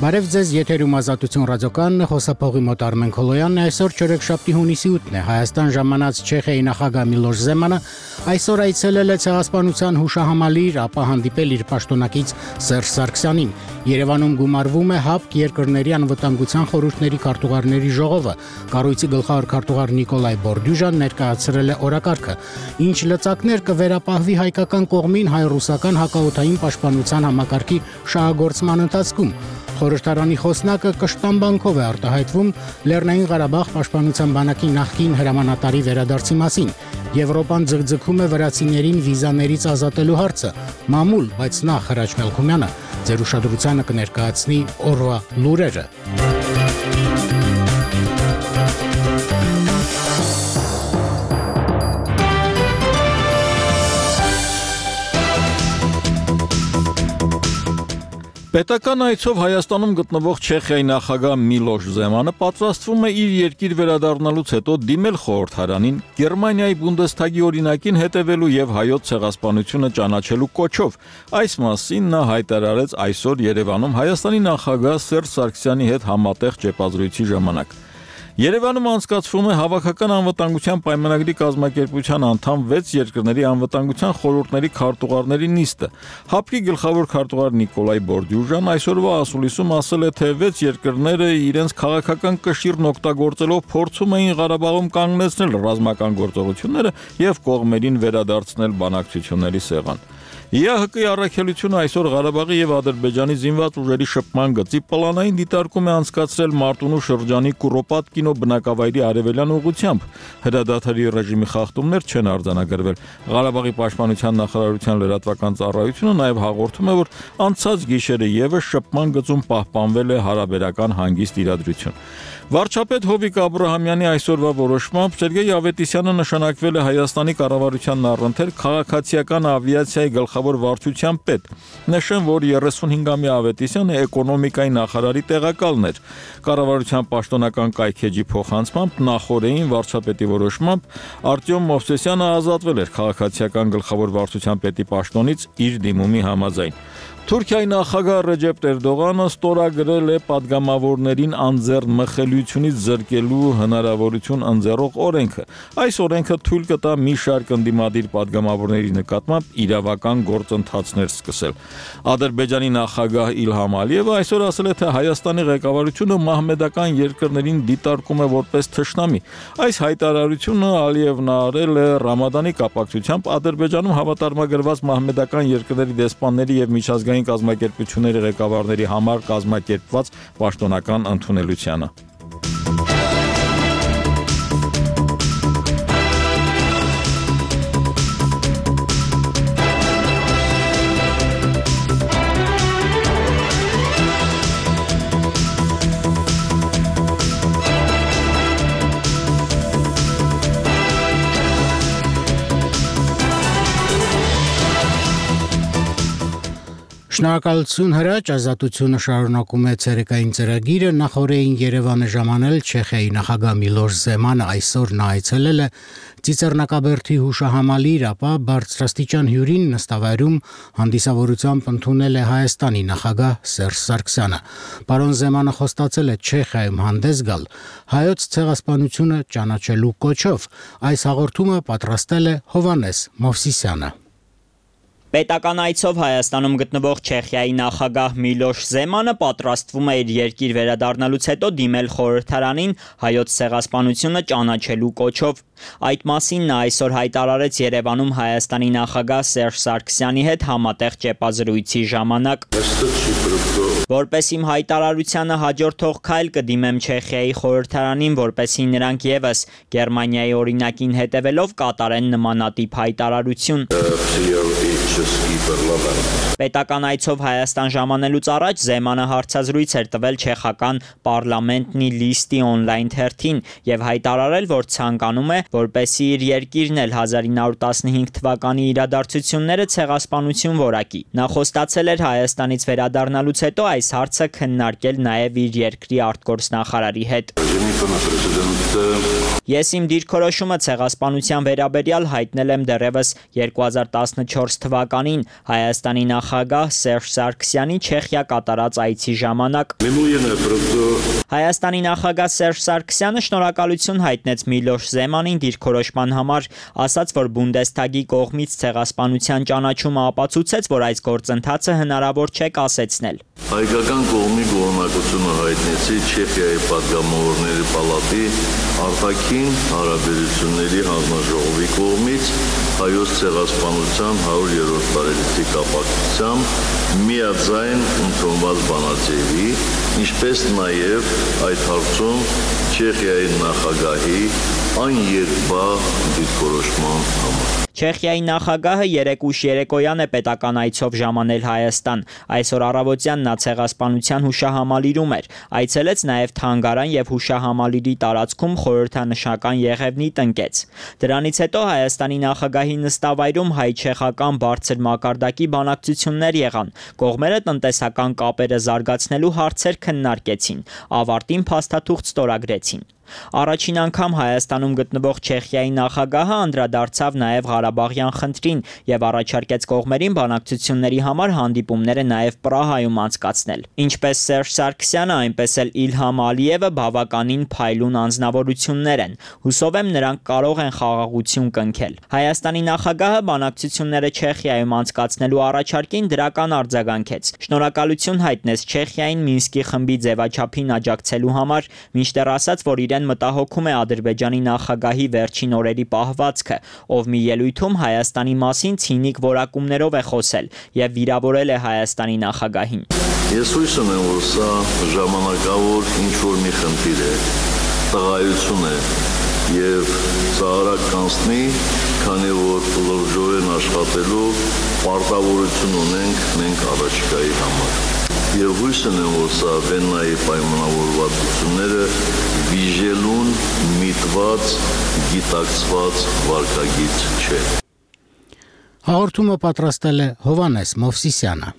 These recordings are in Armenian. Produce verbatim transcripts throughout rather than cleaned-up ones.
Բարև ձեզ, եթերում Ազատություն ռադիոկայանն է, խոսափողի մոտ Արմեն Քոլոյանն է, այսօր չորեքշաբթի հունիսի ութն է, Հայաստան ժամանած Չեխիայի նախագահ Միլոշ Զեմանը այսօր այցելել է Ցեղասպանության հուշահամալիր, ապա հանդիպել իր պաշտոնակից Սերժ Սարգսյանին։ Երևանում գումարվում է ՀԱՊԿ երկրների անվտանգության խորհուրդների քարտուղարների ժողովը, կառույցի գլխավոր քարտուղար Նիկոլայ Բորդյուժան ներկայացրել է օրակարգը, ինչ լծակներ կվերապահվի հայկական կողմին հայ-ռուսական հակաօդային պաշտպանության համակարգի շահագործման ընթացքում։ Խորհրդարանի խոսնակը կշտամբանքով է արտահայտվում Լեռնային Ղարաբաղ պաշտպանության բանակի նախկին հրամանատարի վերադարձի մասին։ Եվրոպան ձգձգում է վրացիներին վիզաներից ազատելու հարցը։ Մամուլ, բայց նախ Հրաչ Մելքումյանը ձեր ուշադրությանը կներկայացնի օրվա լուրերը։ Պետական այցով Հայաստանում գտնվող Չեխիայի նախագահ Միլոշ Զեմանը պատրաստվում է իր երկիր վերադառնալուց հետո դիմել խորհրդարանին Գերմանիայի Բունդեսթագի օրինակին հետևելու եւ հայոց ցեղասպանությունը ճանաչելու կոչով։ Այս մասին նա հայտարարեց այսօր Երևանում Հայաստանի նախագահ Սերժ Սարգսյանի հետ համատեղ ճեպազրույցի ժամանակ։ Երևանում անցկացվում է Հավաքական անվտանգության պայմանագրի կազմակերպության անդամ վեց երկրների անվտանգության խորհուրդների քարտուղարների նիստը։ ՀԱՊԿ-ի գլխավոր քարտուղար Նիկոլայ Բորդյուժան այսօրվա ասուլիսում ասել է, թե վեց երկրները իրենց քաղաքական կշիռն օգտագործելով փորձում էին Ղարաբաղում կանգնեցնել ռազմական գործողությունները եւ կողմերին վերադարձնել բանակցությունների սեղան։ ԵԱՀԿ-ի առաքելությունը այսօր Ղարաբաղի եւ Ադրբեջանի զինված ուժերի շփման գծի պլանային դիտարկում է անցկացրել Մարտունու շրջանի Կուրոպատկինո բնակավայրի արևելյան ուղությամբ։ Հրադադարի ռեժիմի խախտումներ չեն արձանագրվել։ Ղարաբաղի պաշտպանության նախարարության լրատվական ծառայությունը նաեւ հաղորդում է, որ անցած գիշերը եւս շփման գծում պահպանվել է հարաբերական հանգիստ իրադրություն։ Վարչապետ Հովիկ Աբրահամյանի այսօրվա որոշմամբ Սերգեյ Ավետիսյանը նշանակվել է Հայաստանի կառավարությանն առընթեր քաղաքացիական ավիացիայի գլխավոր վարչության պետ։ Նշեմ, որ երեսունհինգամյա Ավետիսյանը էկոնոմիկայի նախարարի տեղակալն էր։ Կառավարության պաշտոնական կայքեջի փոխանցմամբ նախորդին վարչապետի որոշմամբ Արտյոմ Մովսեսյանը ազատվել էր քաղաքացիական գլխավոր վարչության պետի պաշտոնից իր դիմումի համաձայն։ Թուրքիայի նախագահ Ռեջեփ Էրդողանը ստորագրել է падգամավորներին անձեռն մխելիությունից զրկելու հնարավորություն ընձեռող օրենքը։ Այս օրենքը թույլ կտա մի շարք ընդդիմադիր падգամավորների նկատմամբ իրավական գործընթացներ սկսել։ Ադրբեջանի նախագահ Իլհամ Ալիևը այսօր ասել է, թե Հայաստանի ղեկավարությունը մահմեդական երկրներին դիտարկում է որպես թշնամի։ Այս հայտարարությունը Ալիևն արել է Ռամադանի կապակցությամբ Ադրբեջանում հավատարմագրված մահմեդական երկրների դեսպանների եւ միջազգային կազմակերպությունների ղեկավարների համար կազմակերպված պաշտոնական ընդունելությանը։ Շնորհակալություն Հրաչ, Ազատությունը շարունակում է ցերեկային ծրագիրը, նախորդին Երևանը ժամանել Չեխիայի նախագահ Միլոշ Զեմանը այսօր նա այցելել է Ծիծեռնակաբերդի հուշահամալիր, ապա բարձրաստիճան հյուրին նստավայրում հանդիսավորությամբ ընդունել է Հայաստանի նախագահ Սերժ Սարգսյանը։ Պարոն Զեմանը խոստացել է Չեխիայում հանդես գալ հայոց ցեղասպանությունը ճանաչելու կոչով։ Այս հաղորդումը պատրաստել է Հովհաննես Մովսիսյանը։ Պետական այցով Հայաստանում գտնվող Չեխիայի նախագահ Միլոշ Զեմանը պատրաստվում է իր երկիր վերադառնալուց հետո դիմել խորհրդարանին հայոց ցեղասպանությունը ճանաչելու կոչով։ Այդ մասին նա այսօր հայտարարեց Երևանում Հայաստանի նախագահ Սերժ Սարգսյանի հետ համատեղ ճեպազրույցի ժամանակ։ Որպես իմ հայտարարությանը հաջորդող քայլ կդիմեմ Չեխիայի խորհրդարանին, որպեսզի նրանք եւս Գերմանիայի օրինակին հետևելով կատարեն նմանատիպ հայտարարություն։ Պետական այցով Հայաստան ժամանելուց առաջ Զեմանը հարցազրույց էր տվել չեխական Պարլամենտնի լիստի օնլայն թերթին եւ հայտարարել, որ ցանկանում է, որպեսզի իր երկիրն էլ հազար ինը հարյուր տասնհինգ թվականի իրադարձությունները ցեղասպանություն որակի։ Նա խոստացել էր Հայաստանից վերադառնալուց հետո այս հարցը քննարկել նաեւ իր երկրի արտգործնախարարի հետ։ Ես իմ դիրքորոշումը ցեղասպանության վերաբերյալ հայտնել եմ դեռևս երկու հազար տասնչորս թվականին թվականին Հայաստանի նախագահ Սերժ Սարգսյանի Չեխիա կատարած այցի ժամանակ։ Հայաստանի նախագահ Սերժ Սարգսյանը շնորհակալություն հայտնեց Միլոշ Զեմանին դիրքորոշման համար, ասաց, որ Բունդեսթագի կողմից ցեղասպանության ճանաչումը ապացուցեց, որ այս գործընթացը հնարավոր չէ կասեցնել։ Հայկական կողմի գոհունակությունը հայտնեցի Չեխիայի պատգամավորների պալատի արտաքին հարաբերությունների հանձնաժողովի կողմից հայոց ցեղասպանության հարյուրերորդ տարելիցի կապակցությամբ միաձայն ընդունված բանաձևի, ինչպես նաև այդ հարցում Չեխիայի նախագահի աներկբա դիրքորոշման համար։ Չեխիայի նախագահը երեկ ուշ երեկոյան է պետական այցով ժամանել Հայաստան։ Այսօր առավոտյան նա ցեղասպանության հուշահամալիրում էր։ Այցելեց նաև թանգարան եւ հուշահամալիրի տարածքում խորհրդանշական եղևնի տնկեց։ Դրանից հետո Հայաստանի նախագահի նստավայրում հայ-չեխական բարձր մակարդակի բանակցություններ եղան։ Կողմերը տնտեսական կապերը զարգացնելու հարցեր քննարկեցին։ Ավարտին փաստաթուղթ ստորագրեցին։ Առաջին անգամ Հայաստանում գտնվող Չեխիայի նախագահը անդրադարձավ նաև Ղարաբաղյան խնդրին եւ առաջարկեց կողմերին բանակցությունների համար հանդիպումները նաև Պրահայում անցկացնել։ Ինչպես Սերժ Սարգսյանը, այնպես էլ Իլհամ Ալիևը բավականին փայլուն անձնավորություններ են։ Հուսով եմ նրանք կարող են խաղաղություն կնքել։ Հայաստանի նախագահը բանակցությունները Չեխիայում անցկացնելու առաջարկին դրական արձագանքեց։ Շնորհակալություն հայտնեց Չեխիային Մինսկի խմբի ձևաչափին աջակցելու համար, մինչդեռ ասաց, որ իրեն մտահոգում է Ադրբեջանի նախագահի վերջին օրերի պահվածքը, ով մի ելույթում Հայաստանի մասին ցինիկ որակումներով է խոսել եւ վիրավորել է Հայաստանի նախագահին։ Ես հույս ունեմ, որ սա ժամանակավոր ինչ-որ մի խնդիր է, տղայություն է եւ սա արագ կանցնի, քանի որ լրջորեն աշխատելու պարտավորություն ունենք մենք առաջիկայի համար։ Եվ հույս ունեմ, որ սա Վեննայի պայմանավորվածությունները վիժելուն միտված, գիտակցված վարքագիծ չէ։ Հաղորդումը պատրաստել է Հովանես Մովսիսյանը։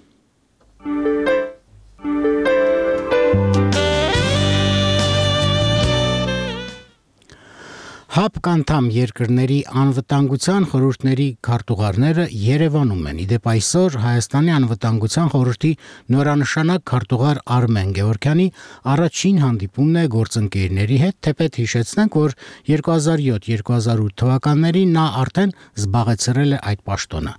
ՀԱՊԿ անդամ երկրների անվտանգության խորհուրդների քարտուղարները Երևանում են։ Իդեպ այսօր Հայաստանի անվտանգության խորհրդի նորանշանակ քարտուղար Արմեն Գևորգյանի առաջին հանդիպումն է գործընկերների հետ, թեպետ հիշեցնենք, որ երկու հազար յոթ երկու հազար ութ թվականներին նա արդեն զբաղեցրել է այդ պաշտոնը։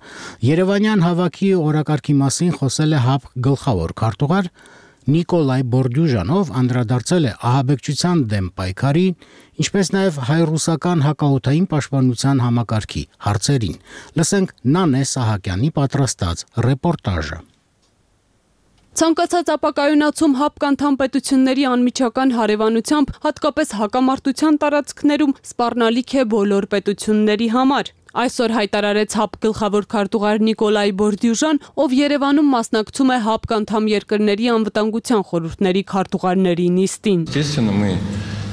Երևանյան հավաքի օրակարգի մասին խոսել է ՀԱՊԿ գլխավոր քարտուղար Նիկոլայ Բորդյուժանով, անդրադարձել է ահաբեկչության դեմ պայքարի, ինչպես նաև հայ-ռուսական հակաօդային պաշտպանության համակարգի հարցերին։ Լսենք Նանե Սահակյանի պատրաստած ռեպորտաժը։ Ցանկացած ապակայունացում ՀԱՊԿ անդամ պետությունների անմիջական հարևանությամբ, հատկապես հակամարտության տարածքներում, սպառնալիք է բոլոր պետությունների համար։ Այսօր հայտարարեց ՀԱՊԿ գլխավոր քարտուղար Նիկոլայ Բորդյուժան, ով Երևանում մասնակցում է ՀԱՊԿ անդամ երկրների անվտանգության խորհուրդների քարտուղարների նիստին։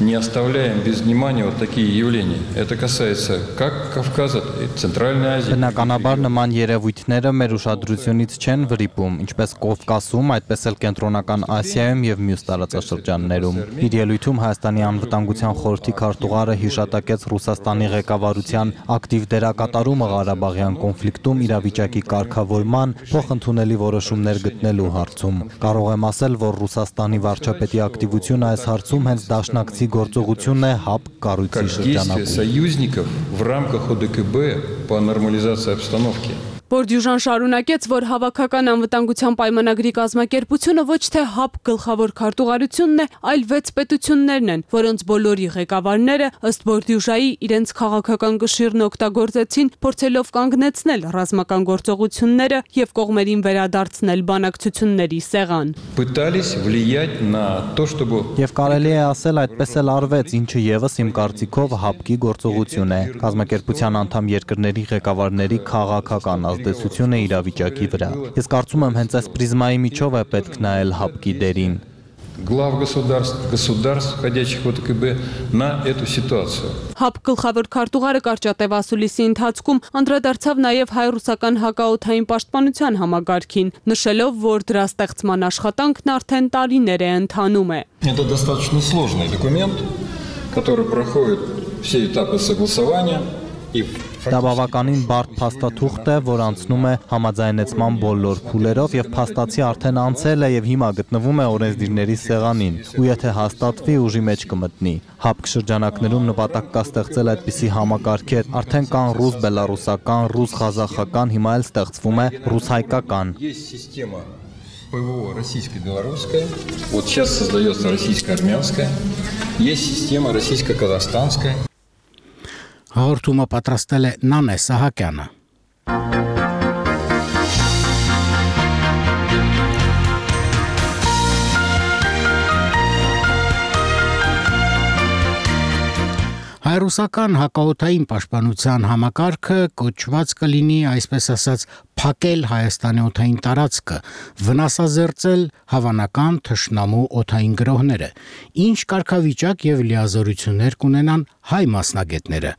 Не оставляем без внимания вот такие явления. Это касается как Кавказа, Центральной Азии. Բնականաբար նման երևույթները մեր ուշադրությունից չեն վրիպում, ինչպես Կովկասում, այդպես էլ Կենտրոնական Ասիայում եւ մյուս տարածաշրջաններում։ Իր ելույթում Հայաստանի անվտանգության խորհրդի քարտուղարը հիշատակեց Ռուսաստանի ղեկավարության ակտիվ դերակատարումը Ղարաբաղյան կոնֆլիկտում իրավիճակի կարգավորման, փոխընդունելի որոշումներ գտնելու հարցում։ Կարող եմ ասել, որ Ռուսաստանի վարչապետի ակտիվությունը այս հարցում հենց դաշնակցի գործողությունն է ՀԱՊԿ կառույցի շրջանակում։ Союзников в рамках ОДКБ по нормализации обстановки. Բորդյուժան շարունակեց, որ հավաքական անվտանգության պայմանագրի կազմակերպությունը ոչ թե ՀԱՊԿ գլխավոր քարտուղարությունն է, այլ վեց պետություններն են, որոնց բոլորի ղեկավարները ըստ Բորդյուժայի իրենց քաղաքական կշիռն օգտագործեցին, փորձելով կանգնեցնել ռազմական գործողությունները եւ կողմերին վերադարձնել բանակցությունների սեղան։ Пытались влиять на то, чтобы Եվ կարելի է ասել այդպես էլ արվեց, ինչը եւս իմ կարծիքով ՀԱՊԿ-ի գործողություն է։ Կազմակերպության անդամ երկրների ղեկավարների քաղաքական ազդեցությունը իրավիճակի վրա։ Ես կարծում եմ հենց այս պրիզմայի միջով է պետք նայել ՀԱՊԿ-ի դերին։ глав государств, государств, входящих в ОДКБ, на эту ситуацию. ՀԱՊԿ գլխավոր քարտուղարը կարճատև ասուլիսի ընթացքում անդրադարձավ նաև հայ-ռուսական հակաօդային պաշտպանության համագարքին, նշելով, որ դրա ստեղծման աշխատանքն արդեն տարիներ է ընթանում է։ Это достаточно сложный документ, который проходит все этапы согласования. Դա բավականին բարդ փաստաթուղթ է, որ անցնում է համաձայնեցման բոլոր փուլերով եւ փաստացի արդեն անցել է եւ հիմա գտնվում է օրենսդիրների սեղանին, ու եթե հաստատվի, ուժի մեջ կմտնի։ Հապկ շրջանակներում նպատակ կա ստեղծել այդպիսի համակարգեր, արդեն կան ռուս-բելարուսական, ռուս-ղազախական, հիմա էլ ստեղծվում է ռուս-հայկական։ ПВО российско-белорусская, вот сейчас создается российско-армянская, есть система российско-казахстанская. Հաղորդումը պատրաստել է Նանե Սահակյանը։ Հայրուսական հակաօդային պաշտպանության համակարգը կոչված կլինի, այսպես ասած, փակել Հայաստանի օդային տարածքը, վնասազերծել հավանական թշնամու օդային գրոհները։ Ինչ կարգավիճակ եւ լիազորություններ կունենան հայ մասնագետները։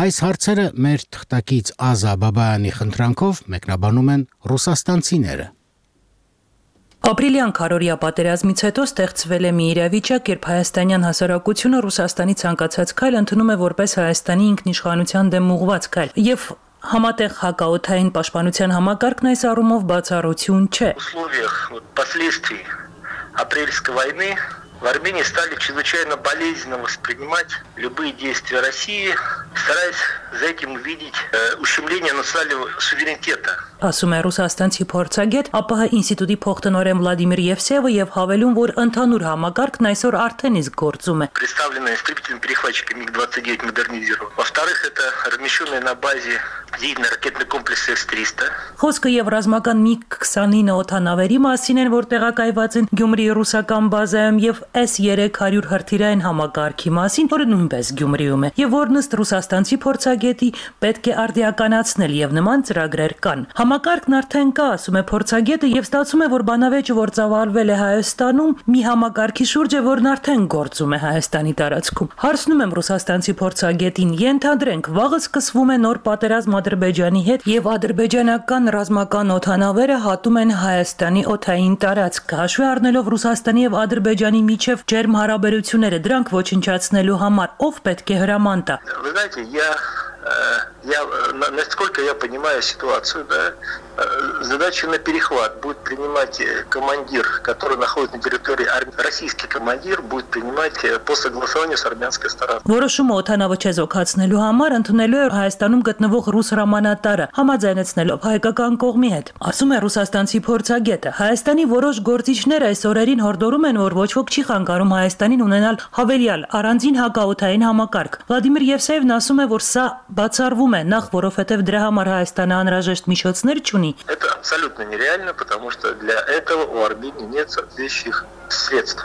Այս հարցերը մեր թղթակից Ազա Բաբայանի խնդրանքով մեկնաբանում են ռուսաստանցիները։ Ապրիլյան քարորիա պատերազմից հետո ստեղծվել է մի իրավիճակ, երբ հայաստանյան հասարակությունը Ռուսաստանի ցանկացած քայլ ընդունում է որպես Հայաստանի ինքնիշխանության դեմ ուղղված քայլ, եւ համատեղ հակաօդային պաշտպանության համակարգն այս առումով бацарություն չէ։ Апрельской войны в Армении стали чрезвычайно болезненно воспринимать любые действия России, стараясь за этим увидеть э, ущемление национального суверенитета. Ասում է ռուսաստանցի փորձագետ ԱՊՀ ինստիտուտի փոխտնօրեն Վլադիմիր Եվսեևը եւ հավելում, որ ընդհանուր համակարգն այսօր արդեն իսկ գործում է։ Представленная истребителем-перехватчиком миг двадцать девять модернизирован. Во-вторых, это размещенные на базе зенитно-ракетный комплекс эс триста. Խոսքը եւ ռազմական միգ քսանինը օդանավերի մասին են, որ տեղակայված են Գյումրիի ռուսական բազայում եւ էս երեք հարյուր հրթիռային համակարգի մասին, որը նույնպես Գյումրիում է, եւ որն ըստ ռուսաստանցի փորձագետի պետք է արդիականացնել եւ նման ծրագրեր կան։ Համակարգն արդեն կա, ասում է փորձագետը, եւ ստացվում է, որ բանավեճը, որ ծավալվել է Հայաստանում, մի համակարգի շուրջ է, որն արդեն գործում է Հայաստանի տարածքում։ Հարցնում եմ ռուսաստանցի փորձագետին, ենթադրենք, վաղը սկսվում է նոր պատերազմ Ադրբեջանի հետ եւ ադրբեջանական ռազմական օդանավերը հատում են Հայաստանի օդային տարածք, հաշվի առնելով Ռուսաստանի եւ Ադրբեջանի միջև ջերմ հարաբերությունները, դրանք ոչնչացնելու համար ով պետք է հրաման տա։ Вы знаете, я Я, насколько я понимаю ситуацию, да, задачу на перехват будет принимать командир, который находится на территории Армении. Российский командир будет принимать по согласованию с армянской стороной. Որոշումը օդանավը չեզոքացնելու համար ընդունելու է Հայաստանում գտնվող ռուս հրամանատարը, համաձայնեցնելով հայկական կողմի հետ։ Ասում է ռուսաստանցի փորձագետը, Հայաստանի որոշ գործիչներ այս օրերին հորդորում են, որ ոչ ոք չի խանգարում Հայաստանին ունենալ հավելյալ առանձին հակաօդային համակարգ։ Վլադիմիր Եվսեևն ասում է, որ սա բացառվում է, նախ որովհետև դրա համար Հայաստանը անհրաժեշտ միջոցներ չունի։ Это абсолютно нереально, потому что для этого у Армении нет соответствующих средств.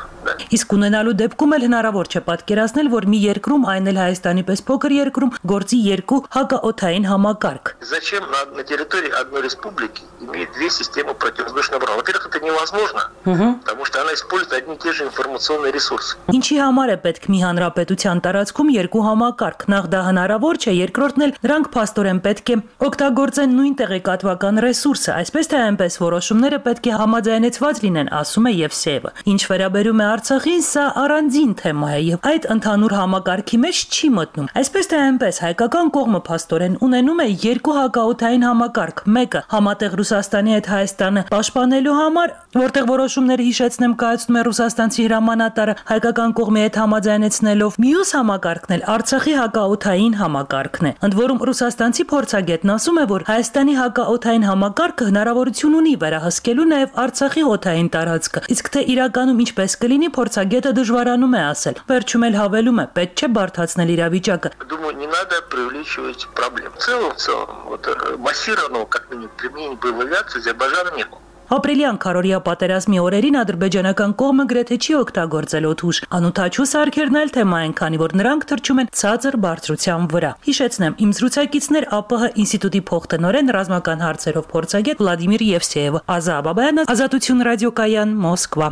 Իսկ ունենալու դեպքում էլ հնարավոր չէ պատկերացնել, որ մի երկրում, այն էլ Հայաստանի պես փոքր երկրում, գործի երկու հակաօդային համակարգ։ Зачем на, на территории одной республики иметь две системы противовоздушной обороны? Во-первых, это невозможно, потому что она использует одни и те же информационные ресурсы. Ինչի համար է պետք մի հանրապետության տարածքում երկու համակարգ։ Նախ դա հնարավոր չէ, երկրորդն էլ դրանք փաստորեն պետք է օգտագործեն նույն տեղեկատվական ռեսուրսը, այսպես թե այնպես որոշումները պետք է համաձայնեցված լինեն, ասում է Եվսեևը։ Ինչ վերաբերում է Արցախին, սա առանձին թեմա է եւ այդ ընդհանուր համակարգի մեջ չի մտնում։ Այսպես թե այնպես հայկական կողմը փաստորեն ունենում է երկու հակաօդային համակարգ, մեկը համատեղ Ռուսաստանի հետ Հայաստանը պաշտպանելու համար, որտեղ որոշումները հիշեցնեմ կայացնում է ռուսաստանցի հրամանատարը հայկական կողմի հետ համաձայնեցնելով, մյուս համակարգն էլ Արցախի հակաօդային համակարգն է։ Ընդ որում ռուսաստանցի փորձագետն ասում է, որ Հայաստանի հակաօդային համակարգը հնարավորություն ունի վերահսկելու նաեւ Արցախի օդային տարածքը, իսկ թե իրականում ինչպես կլինի փորձագետը дժվարանում է ասել։ Վերջում էլ հավելում է, պետք չէ բարդացնել իրավիճակը։ Думаю, не надо преувеличивать проблем. В целом, в целом, вот массированного, как минимум, применения боевой авиации Азербайджана не было. Ապրիլյան քարորիա պատերազմի օրերին ադրբեջանական կողմը գրեթե չի օգտագործել օդուժ։ Անուտաչու սարքերն էլ թեմա են, քանի որ նրանք թռչում են ցածր բարձրության վրա։ Հիշեցնեմ, իմ զրուցակիցներ ԱՊՀ ինստիտուտի փոխտնօրեն ռազմական հարցերով փորձագետ Վլադիմիր Եվսեևը, Ազա Բաբայանը, Ազատություն ռադիոկայան, Մոսկվա։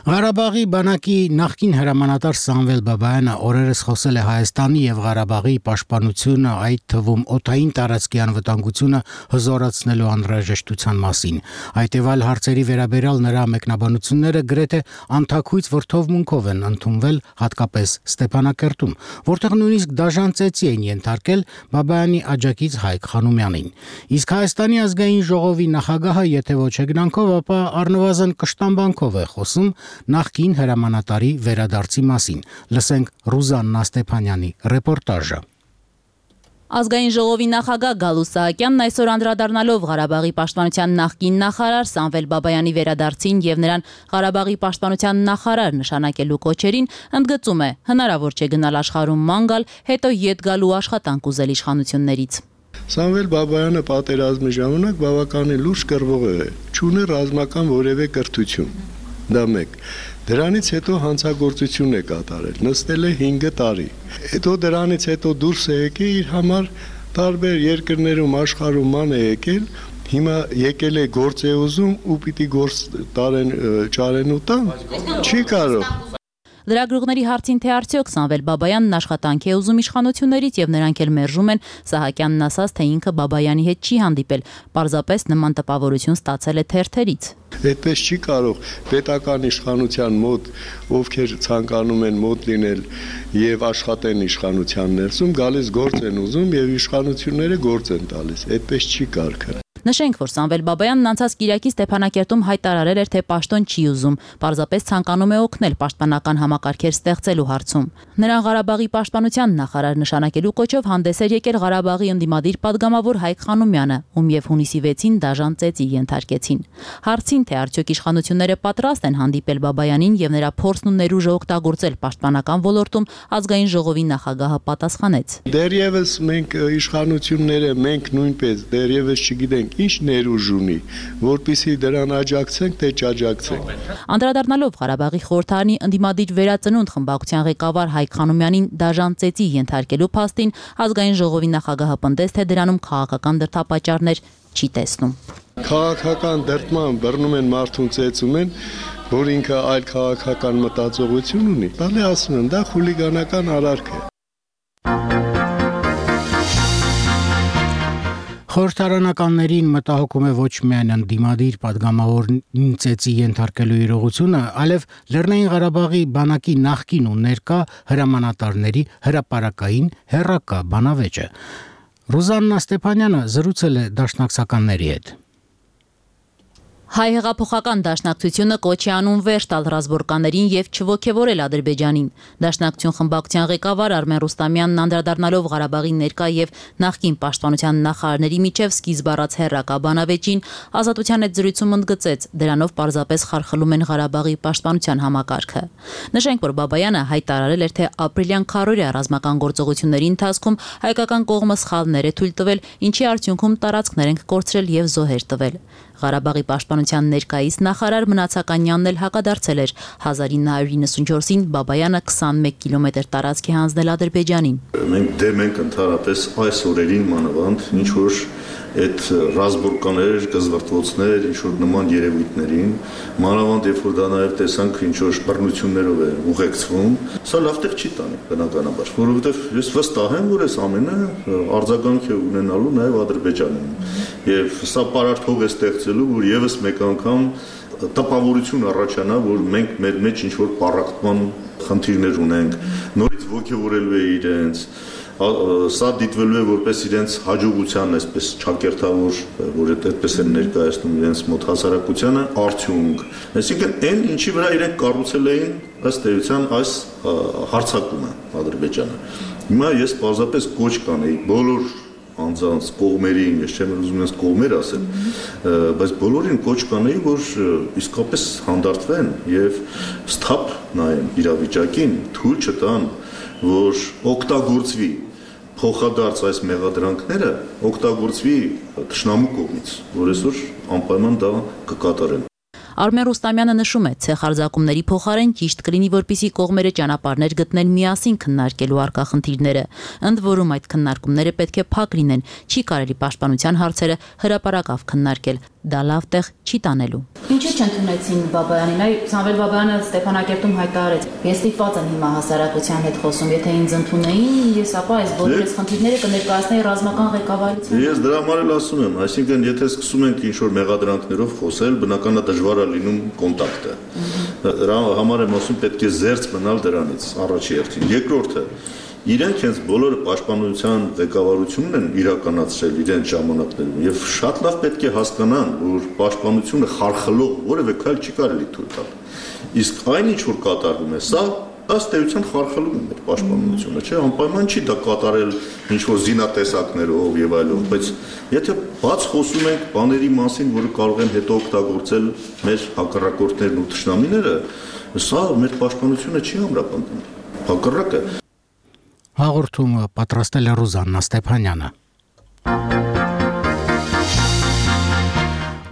Ղարաբաղի բանակի նախկին հրամանատար Սամվել Բաբայանը օրերս խոսել է Հայաստանի եւ Ղարաբաղի պաշտպանությունը, այդ թվում օդային տարածքի անվտանգությունը հզորացնելու անհրաժեշտության մասին։ Այդ եւ այլ հարցերի վերաբերյալ նրա մեկնաբանությունները գրեթե անթաքույց վրթովմունքով են ընդունվել, հատկապես Ստեփանակերտում, որտեղ նույնիսկ դաժան ծեծի են ենթարկել Բաբայանի աջակից Հայկ Խանոմյանին։ Իսկ Հայաստանի ազգային ժողովի նախագահը, եթե ոչ հեգնանքով, ապա առնվազն կշտամբանքով է խոսում նախկին հրամանատարի վերադարձի մասին։ Լսենք Ռուզաննա Ստեփանյանի ռեպորտաժը։ Ազգային ժողովի նախագահ Գալուստ Սահակյանն այսօր անդրադառնալով Ղարաբաղի պաշտպանության նախկին նախարար Սամվել Բաբայանի վերադարձին եւ նրան Ղարաբաղի պաշտպանության նախարար նշանակելու կոչերին, ընդգծում է, հնարավոր չէ գնալ աշխարհում ման գալ, հետո ետ գալու աշխատանք ուզել իշխանություններից։ Սամվել Բաբայանը պատերազմի ժամանակ բավականին լուրջ կռվող է, չունի ռազմական որևէ կրթություն։ Դա մեկ։ Դրանից հետո հանցագործություն է կատարել, նստել է հինգ տարի։ Հետո դրանից հետո դուրս է եկել իր համար տարբեր երկրներում աշխարհում ման է եկել, հիմա եկել է գործ է ուզում ու պիտի գործ տարեն ճարեն ու տան։ Չի կարող։ Լրագրողների հարցին թե արդյոք Սամվել Բաբայանն աշխատանք է ուզում իշխանություններից եւ նրանք էլ մերժում են, Սահակյանն ասաց, թե ինքը Բաբայանի հետ չի հանդիպել, պարզապես նման տպավորություն ստացել է թերթերից։ Այդպես չի կարող պետական իշխանության մոտ, ովքեր ցանկանում են մոտ լինել եւ աշխատեն իշխանության ներսում, գալիս գործ են ուզում եւ իշխանությունները գործ են տալիս։ Այդպես չի կարգը։ Նշենք, որ Սամվել Բաբայանն անցած Կիրակի Ստեփանակերտում հայտարարել էր, թե պաշտոն չի ուզում, պարզապես ցանկանում է օգնել պաշտպանական համակարգեր ստեղծելու հարցում։ Նրան Ղարաբաղի պաշտպանության նախարար նշանակելու կոչով հանդես էր եկել Ղարաբաղի ընդդիմադիր падգամավոր Հայկ Խանոմյանը, ում եւ հունիսի վեցին դաժան ծեծի ենթարկեցին։ Հարցին, թե արդյոք իշխանությունները պատրաստ են հանդիպել Բաբայանին եւ նրա փորձն ու ներուժը օգտագործել պաշտպանական ոլորտում, ազգային ժողովի նախագահը պատասխանեց. Դեռևս մենք իշխանությունները, մենք նույնպես դեռևս չգիտենք ինչ ներուժ ունի, որպեսզի դրան աջակցենք, թե չաջակցենք։ Անդրադառնալով Ղարաբաղի խորհրդարանի ընդդիմադիր վերածնունդ խմբակցության ղեկավար Հայկ Խանոմյանին դաժան ծեծի ենթարկելու փաստին, ազգային ժողովի նախագահը պնդեց, թե դրանում քաղաքական դրդապատճառներ չի տեսնում։ Քաղաքական դրդման բռնում են մարդուն ծեծում են, որ ինքը այլ քաղաքական մտածողություն ունի։ Բալի ասում են, դա խուլիգանական արարք է։ Խորհրդարանականներին մտահոգում է ոչ միայն ընդդիմադիր падգամավորին ծեծի ենթարկելու իրողությունը, այլև Լեռնային Ղարաբաղի բանակի նախկին ու ներկա հրամանատարների հրապարակային հերրակա բանավեճը։ Ռուզաննա Ստեփանյանը զրուցել է դաշնակցականների հետ։ Հայ հեղափոխական դաշնակցությունը կոչ է անում վերջ տալ ռազմորկաներին եւ չոգեւորել Ադրբեջանին։ Դաշնակցություն խմբակցության ղեկավար Արմեն Ռուստամյանն անդրադառնալով Ղարաբաղի ներկա եւ նախկին պաշտպանության նախարարների միջև սկիզբ առած հերրակա բանավեճին, Ազատության հետ զրույցում ընդգծեց, դրանով պարզապես խարխլում են Ղարաբաղի պաշտպանության համակարգը։ Նշենք, որ Բաբայանը հայտարարել էր, թե ապրիլյան քարորիա ռազմական գործողությունների ընթացքում հայկական կողմը սխալներ է թույլ տվել, ինչի արդյունքում տարածքներ են կորցրել եւ զոհեր տվել։ Ղարաբաղի պաշտպանության ներկայիս նախարար Մնացականյանն էլ հակադարձել էր հազար ինը հարյուր իննսունչորսին Բաբայանը քսանմեկ կիլոմետր տարածքի հանձնել Ադրբեջանին։ Մենք դեմ ենք ընդհանրապես այս օրերին մանավանդ ինչ որ այդ ռազմորկաներ, կզվրտվոցներ, ինչ որ նման երևույթներին, մանավանդ երբ որ դա նաև տեսանք ինչ որ բռնություններով է ուղեկցվում, սա լավ տեղ չի տանի բնականաբար, որովհետև ես վստահ եմ, որ այս ամենը արձագանք է ունենալու նաև Ադրբեջանում։ Եվ սա պարարտ է ստեղծելու, որ եւս մեկ անգամ տպավորություն առաջանա, որ մենք մեր մեջ ինչ որ պառակտման խնդիրներ ունենք, նորից ոգևորելու է իրենց, սա դիտվելու է որպես իրենց հաջողության, այսպես չակերտավոր, որ այդպես են ներկայացնում իրենց մոտ հասարակությանը, արդյունք։ Այսինքն այն ինչի վրա իրենք կառուցել էին ըստ էության այս հարձակումը Ադրբեջանը։ Հիմա ես պարզապես կոչ կանեի բոլոր անձանց կողմերին, ես չեմ ուզում ես կողմեր ասել, բայց բոլորին կոչ կանեի, որ իսկապես հանդարտվեն եւ սթափ նայեն իրավիճակին, թույլ չտան, որ օգտագործվի փոխադարձ այս մեղադրանքները, օգտագործվի թշնամու կողմից, որ այսօր անպայման դա կկատարեն։ Արմեն Ռուստամյանը նշում է, ցեխարձակումների փոխարեն ճիշտ կլինի, որպեսզի կողմերը ճանապարհներ գտնեն միասին քննարկելու առկա խնդիրները։ Ընդ որում այդ քննարկումները պետք է փակ լինեն, չի կարելի պաշտպանության հարցերը հրապարակավ քննարկել, դա լավ տեղ չի տանելու։ Ինչու չընդունեցին Բաբայանին։ Այ Սամվել Բաբայանը Ստեփանակերտում հայտարարեց. Ես ստիպված եմ հիմա հասարակության հետ խոսում, եթե ինձ ընդունեին, ես ապա այս բոլոր այս խնդիրները կներկայացնեի ռազմական ղեկավարությանը։ Ես դրա համար էլ ասում եմ, այսինքն եթե սկսում ենք ինչ-որ մեղադրանքներով խոսել, բնականաբար դժվար է լինում կոնտակտը։ Դրա համար եմ ասում, պետք է զերծ մնալ դրանից, առաջի հերթին։ Երկրորդը, իրենք հենց բոլորը պաշտպանության ղեկավարությունն են իրականացրել իրենց ժամանակներում եւ շատ լավ պետք է հասկանան, որ պաշտպանությունը խարխլող որևէ քայլ չի կարելի թույլ տալ։ Իսկ այն ինչ որ կատարվում է, սա ըստ էության խարխլում է մեր պաշտպանությունը, չէ՞, անպայման չի դա կատարել ինչ որ զինատեսակներով եւ այլով, բայց եթե բաց խոսում ենք բաների մասին, որը կարող են հետո օգտագործել մեր հակառակորդներն ու թշնամիները, սա մեր պաշտպանությունը չի ամրապնդում։ Հակառակը Հաղորդումը պատրաստել է Ռուզաննա Ստեփանյանը։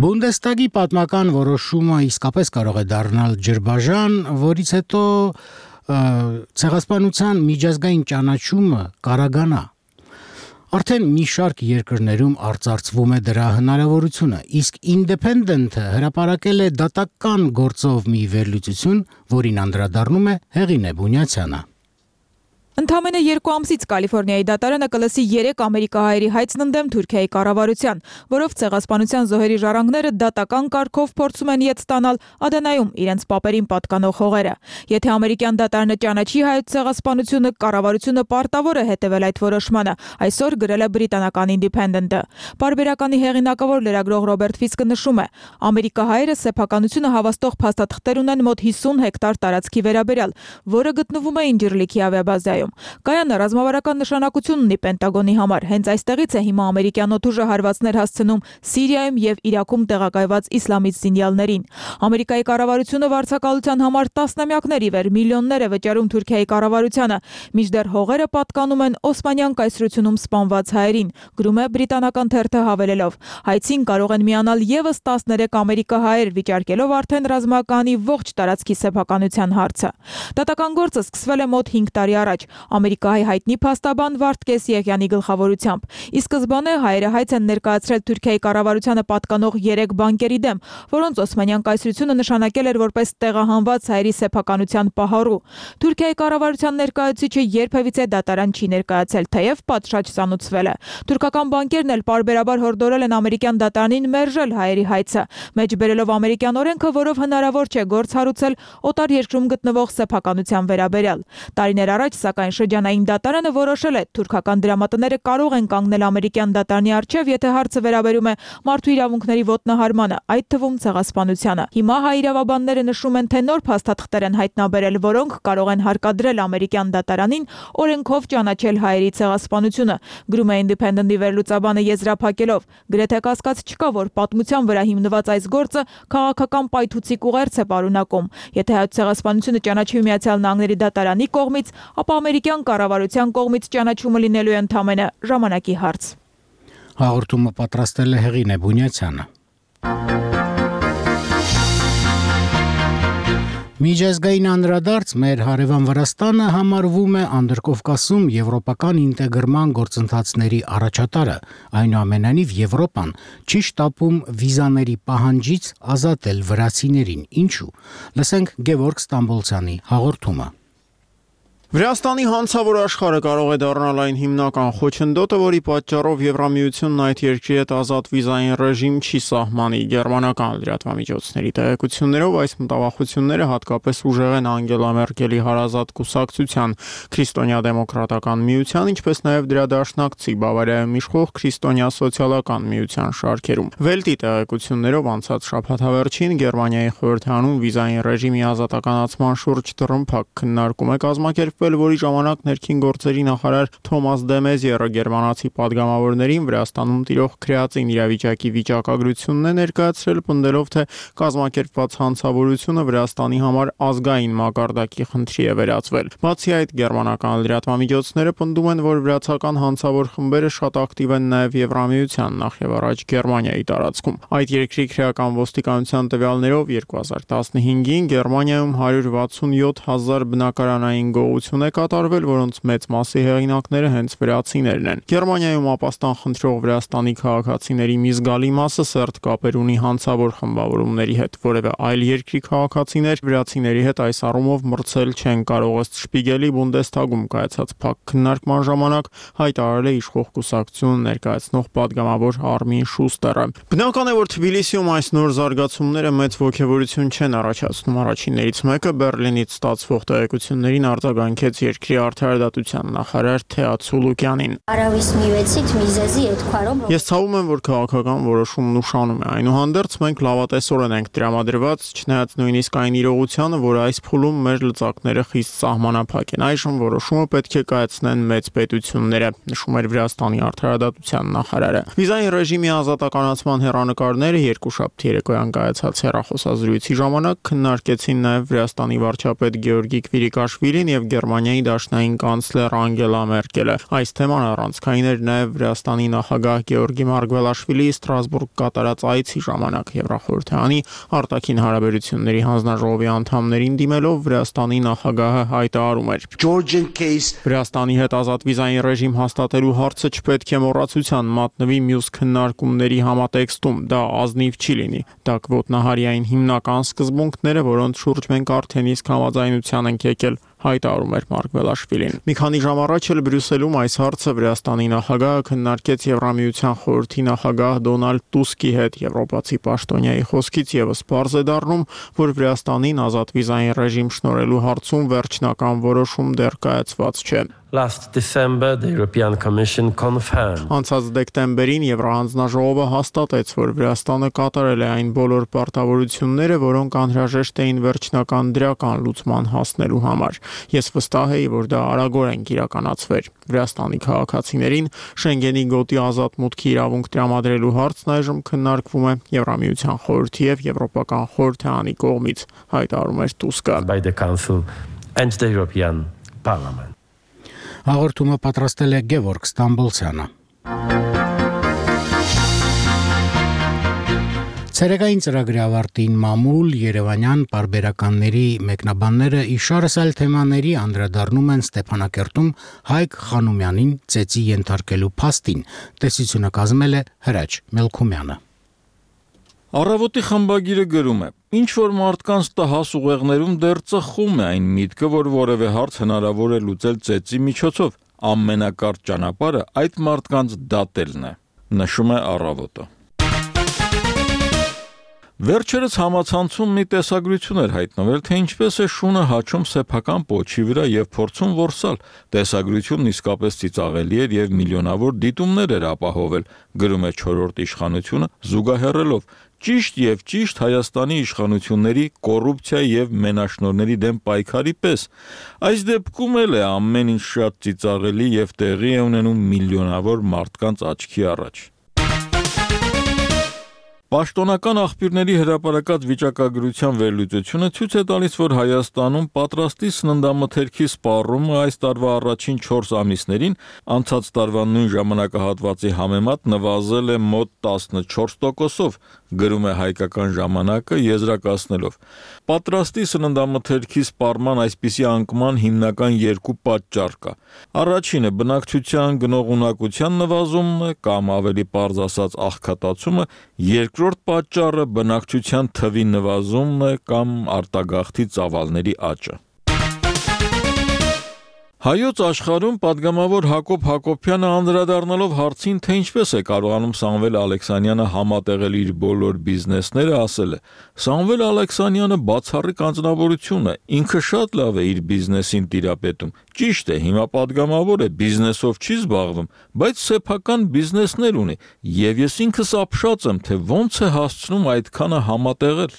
Բունդեստագի պատմական որոշումը իսկապես կարող է դառնալ ջրբաժան, որից հետո ցեղասպանության միջազգային ճանաչումը կարագանա։ Արդեն մի շարք երկրներում արծարծվում է դրա հնարավորությունը, իսկ Independent-ը հրապարակել է դատական գործով մի վերլուծություն, որին անդրադառնում է Հեղինե Բունյացյանը։ Ընդամենը երկու ամսից Կալիֆոռնիայի դատարանը կլսի երեք ամերիկահայերի հայցն ընդդեմ Թուրքիայի կառավարության, որով ցեղասպանության զոհերի ժառանգները դատական կարգով փորձում են ետ ստանալ Ադենայում իրենց պապերին պատկանող հողերը։ Եթե ամերիկյան դատարանը ճանաչի հայոց ցեղասպանությունը, կառավարությունը պարտավոր է հետևել այդ որոշմանը, այսօր գրել է բրիտանական Independent-ը։ Պարբերականի հեղինակավոր լրագրող Ռոբերտ Ֆիսկը նշում է. ամերիկահայերը սեփականությունը հավաստող փաստաթղթեր ունեն մոտ հիսուն հեկտար տարածքի վերաբերյալ, որը գտնվում է Ինջիրլիքի ավիաբազայում։ Կայանը ռազմավարական նշանակություն ունի Պենտագոնի համար։ Հենց այստեղից է հիմա ամերիկյան օդուժը հարվածներ հասցնում Սիրիայում եւ Իրաքում տեղակայված իսլամից զինյալներին։ Ամերիկայի կառավարությունը վարձակալության համար տասնամյակներ ի վեր միլիոններ է վճարում Թուրքիայի կառավարությանը, մինչդեռ հողերը պատկանում են Օսմանյան կայսրությունում սպանված հայերին, գրում է բրիտանական թերթը հավելելով. հայցին կարող են միանալ եւս տասներեք ամերիկահայեր, վիճարկելով արդեն ռազմականի ողջ տարածքի սեփականության հարցը։ Դատական գործը սկսվել է մոտ հինգ տարի առաջ Ամերիկայի հայտնի փաստաբան Վարդգես Եղյանի գլխավորությամբ։ Ի սկզբանե հայերը հայց են ներկայացրել Թուրքիայի կառավարությանը պատկանող երեք բանկերի դեմ, որոնց Օսմանյան կայսրությունը նշանակել էր որպես տեղահանված հայերի սեփականության պահառու։ Թուրքիայի կառավարության ներկայացուցիչը երբևիցե դատարան չի ներկայացել, թեև պատշաճ ծանուցվել է։ Թուրքական բանկերն էլ պարբերաբար հորդորել են ամերիկյան դատարանին մերժել հայերի հայցը, մեջբերելով ամերիկյան օրենքը, որով հնարավոր չէ գործ հարուցել օտար երկրում գտնվող սեփականության վերաբերյալ։ Տարիներ առաջ Սակայն շրջանային դատարանը որոշել է թուրքական դրամատները կարող են կանգնել ամերիկյան դատարանի առջև, եթե հարցը վերաբերում է մարդու իրավունքների ոտնահարմանը, այդ թվում ցեղասպանությանը։ Հիմա հայ իրավաբանները նշում են, թե նոր փաստաթղթեր են հայտնաբերել, որոնք կարող են հարկադրել ամերիկյան դատարանին օրենքով ճանաչել հայերի ցեղասպանությունը, գրում է Independent-ի վերլուծաբանը եզրափակելով։ Գրեթե կասկած չկա, որ պատմության վրա հիմնված այս գործը քաղաքական պայթուցիկ ուղերձ է պարունակում։ Եթե հայոց ցեղասպանությունը ճանաչվի Միացյալ Նահանգների դատարանի կողմից, ապա ամերիկյան կառավարության կողմից ճանաչումը լինելու է ընդամենը ժամանակի հարց։ Հաղորդումը պատրաստել է Հեղինե Բունյացյանը։ Միջազգային անդրադարձ մեր հարևան Վրաստանը համարվում է Անդրկովկասում եվրոպական ինտեգրման գործընթացների առաջատարը, այնուամենայնիվ Եվրոպան չի շտապում վիզաների պահանջից ազատել վրացիներին։ Ինչու՞։ Լսենք Գևորգ Ստամբոլցյանի հաղորդումը։ Վրաստանի հանցավոր աշխարհը կարող է դառնալ այն հիմնական խոչընդոտը, որի պատճառով Եվրամիությունն այդ երկրի հետ ազատ վիզային ռեժիմ չի սահմանի։ Գերմանական լրատվամիջոցների տեղեկություններով այս մտավախությունները հատկապես ուժեղ են Անգելա Մերկելի հարազատ կուսակցության Քրիստոնյա-դեմոկրատական միության, ինչպես նաև դրա դաշնակցի Բավարիայում իշխող Քրիստոնյա սոցիալական միության շարքերում։ Վելտի տեղեկություններով անցած շաբաթավերջին Գերմանիայի խորհրդարանում վիզային ռեժիմի ազատականացման շուրջ դռնփակ քննարկում է կազմակերպվել, որի ժամանակ ներքին գործերի նախարար Թոմաս դե Մեզիերը գերմանացի падգամավորներին Վրաստանում տիրող քրեածին իրավիճակի վիճակագրությունն է ներկայացրել, պնդելով, թե կազմակերպված հանցավորությունը Վրաստանի համար ազգային մակարդակի խնդրի է վերածվել։ Բացի այդ, գերմանական լրատվամիջոցները պնդում են, որ վրացական հանցավոր խմբերը շատ ակտիվ են նաև Եվրամիության, նախևառաջ Գերմանիայի տարածքում։ Այդ երկրի քրեական ոստիկանության տվյալներով երկու հազար տասնհինգին Գերմանիայում հարյուր վաթսունյոթ հազար բնակարանային գողություն գործողություն է կատարվել, որոնց մեծ մասի հեղինակները հենց վրացիներն են։ Գերմանիայում ապաստան խնդրող Վրաստանի քաղաքացիների մի զգալի մասը սերտ կապեր ունի հանցավոր խմբավորումների հետ, որևէ այլ երկրի քաղաքացիներ վրացիների հետ այս առումով մրցել չեն կարող, ըստ Շպիգելի Բունդեսթագում կայացած փակ քննարկման ժամանակ հայտարարել է իշխող կուսակցություն ներկայացնող պատգամավոր Արմին Շուստերը։ Բնական է, որ Թբիլիսիում այս նոր զարգացումները մեծ ոգևորություն չեն առաջացնում։ Առաջիններից մեկը Բերլինից ստացվող տեղեկություններին արձագանքեց երկրի արդարադատության նախարար Թեա Ցուլուկյանին։ Ես ցավում եմ, որ քաղաքական որոշումն ուշանում է։ Այնուհանդերձ մենք լավատեսորեն ենք տրամադրված, չնայած նույնիսկ այն իրողությանը, որ այս փուլում մեր լծակները խիստ սահմանափակ են։ Այժմ որոշումը պետք է կայացնեն մեծ պետությունները, նշում էր Վրաստանի արդարադատության նախարարը։ Վիզային ռեժիմի ազատականացման հեռանկարները երկուշաբթի երեկոյան կայացած հեռախոսազրույցի ժամանակ քննարկեցին նաև Վրաստանի վարչապետ Գեորգի Քվիրիկաշվիլին եւ Գերմանիայի դաշնային կանցլեր Անգելա Մերկելը։ Այս թեման առանցքային էր նաև Վրաստանի նախագահ Գեորգի Մարգվելաշվիլիի Ստրասբուրգ կատարած այցի ժամանակ Եվրախորհրդանի արտաքին հարաբերությունների հանձնաժողովի անդամներին դիմելով Վրաստանի նախագահը հայտարարում էր. Վրաստանի հետ ազատ վիզային ռեժիմ հաստատելու հարցը չպետք է մոռացության մատնվի մյուս քննարկումների համատեքստում, դա ազնիվ չի լինի։ Դա կոտնահարի այն հիմնական սկզբունքները, որոնց շուրջ մենք արդեն իսկ համաձայնության ենք եկել, հայտարարում էր Մարգվելաշվիլին։ Մի քանի ժամ առաջ էլ Բրյուսելում այս հարցը Վրաստանի նախագահը քննարկեց Եվրամիության խորհրդի նախագահ Դոնալդ Տուսկի հետ։ Եվրոպացի պաշտոնյայի խոսքից եւս պարզ է դառնում, որ Վրաստանին ազատ վիզային ռեժիմ շնորհելու հարցում վերջնական որոշում դեռ կայացված չէ։ Last December, the European Commission confirmed. Անցած դեկտեմբերին Եվրահանձնաժողովը հաստատեց, որ Վրաստանը կատարել է այն բոլոր պարտավորությունները, որոնք անհրաժեշտ էին վերջնական դրական լուծման հասնելու համար։ Ես վստահ եի, որ դա արագորեն կիրականացվեր։ Վրաստանի քաղաքացիներին Շենգենի գոտի ազատ մուտքի իրավունք տրամադրելու հարցն այժմ քննարկվում է Եվրամիության խորհրդի եւ Եվրոպական խորհրդարանի կողմից, հայտարարում էր Տուսկը։ By the Council and the European Parliament. Հաղորդումը պատրաստել է Գևորգ Ստամբոլցյանը։ Ցերեկային ծրագրի ավարտին մամուլ Երևանյան պարբերականների մեկնաբանները իշարս այլ թեմաների անդրադառնում են Ստեփանակերտում Հայկ Խանոմյանին ծեծի ենթարկելու փաստին։ Տեսությունը կազմել է Հրաչ Մելքումյանը։ Առավոտի խմբագիրը գրում է. ինչ որ մարդկանց տհաս ուղեղներում դեռ ծխում է այն միտքը, որ որևէ հարց հնարավոր է լուծել ծեծի միջոցով, ամենակարճ ճանապարհը այդ մարդկանց դատելն է, նշում է Առավոտը։ Վերջերս համացանցում մի տեսագրություն էր հայտնվել, թե ինչպես է շունը հաչում սեփական պոչի վրա եւ փորձում որսալ։ Տեսագրությունն իսկապես ծիծաղելի էր եւ միլիոնավոր դիտումներ էր ապահովել, գրում է չորրորդ իշխանությունը, զուգահեռելով ճիշտ եւ ճիշտ Հայաստանի իշխանությունների կոռուպցիայի եւ մենաշնորհների դեմ պայքարի պես։ Այս դեպքում էլ է ամեն ինչ շատ ծիծաղելի եւ տեղի է ունենում միլիոնավոր մարդկանց աչքի առաջ։ Պաշտոնական աղբյուրների հրապարակած վիճակագրության վերլուծությունը ցույց է տալիս, որ Հայաստանում պատրաստի սննդամթերքի սպառումը այս տարվա առաջին չորս ամիսներին անցած տարվա նույն ժամանակահատվածի համեմատ նվազել է մոտ տասնչորս տոկոսով, գրում է Հայկական ժամանակը եզրակացնելով. Պատրաստի սննդամթերքի սպառման այսպիսի անկման հիմնական երկու պատճառ կա։ Առաջինը բնակչության գնողունակության նվազումն է կամ ավելի պարզ ասած աղքատացումը, երկրորդ պատճառը բնակչության թվի նվազումն է կամ արտագաղթի ծավալների աճը։ Հայոց աշխարհում պատգամավոր Հակոբ Հակոբյանը անդրադառնալով հարցին, թե ինչպես է կարողանում Սամվել Ալեքսանյանը համատեղել իր բոլոր բիզնեսները, ասել է. Սամվել Ալեքսանյանը բացառիկ անձնավորություն է, ինքը շատ լավ է իր բիզնեսին տիրապետում։ Ճիշտ է, հիմա պատգամավոր է, բիզնեսով չի զբաղվում, բայց սեփական բիզնեսներ ունի, եւ ես ինքս ապշած եմ, թե ոնց է հասցնում այդքանը համատեղել։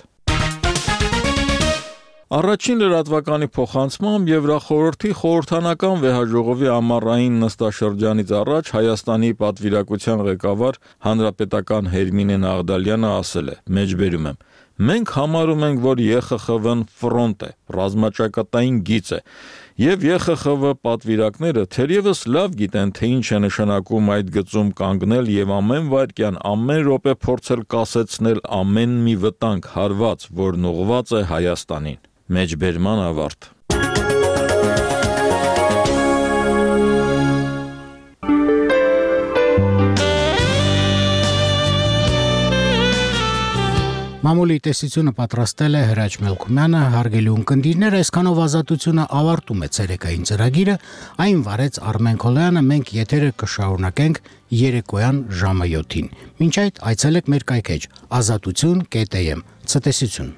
Առաջին լրատվականի փոխանցմամբ Եվրախորհրդի խորհրդանական վեհաժողովի ամառային նստաշրջանից առաջ Հայաստանի պատվիրակության ղեկավար հանրապետական Հերմինե Նաղդալյանը ասել է. մեջբերում եմ. մենք համարում ենք, որ ԵԽԽՎ-ն ֆրոնտ է, ռազմաճակատային գիծ է, եւ ԵԽԽՎ պատվիրակները թերևս լավ գիտեն, թե ինչ է նշանակում այդ գծում կանգնել եւ ամեն վայրկյան, ամեն րոպե փորձել կասեցնել ամեն մի վտանգ, հարված, որն ուղղված է Հայաստանին։ Մեջբերման ավարտ։ Մամուլի տեսությունը պատրաստել է Հրաչ Մելքումյանը, հարգելի ունկնդիրներ, այսքանով Ազատությունը ավարտում է ցերեկային ծրագիրը, այն վարեց Արմեն Քոլոյանը, մենք եթերը կշարունակենք երեկոյան ժամը յոթին։ Մինչ այդ այցելեք մեր կայքեջ ազատություն կետ էմ։ Ցտեսություն։